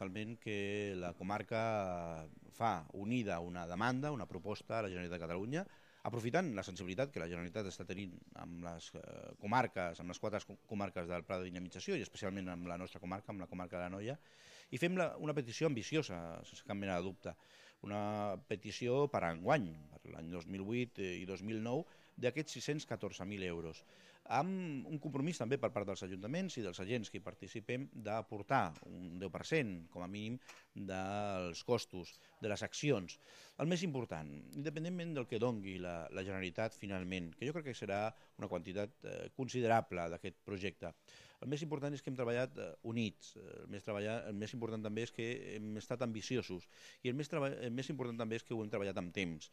totalment que la comarca fa unida una demanda, una proposta a la Generalitat de Catalunya, aprofitant la sensibilitat que la Generalitat està tenint amb les comarques, amb les 4 comarques del Pla de Dinamització i especialment amb la nostra comarca, amb la comarca de l'Anoia, i fem una petició ambiciosa, sense cap mena de dubte, una petició per enguany, per l'any 2008 i 2009, d'aquests 614.000 euros, amb un compromís també per part dels ajuntaments i dels agents que hi participem d'aportar un 10% com a mínim dels costos, de les accions. El més important, independentment del que dongui la Generalitat finalment, que jo crec que serà una quantitat considerable d'aquest projecte, el més important és que hem treballat units, el més important també és que hem estat ambiciosos i el més important també és que ho hem treballat amb temps.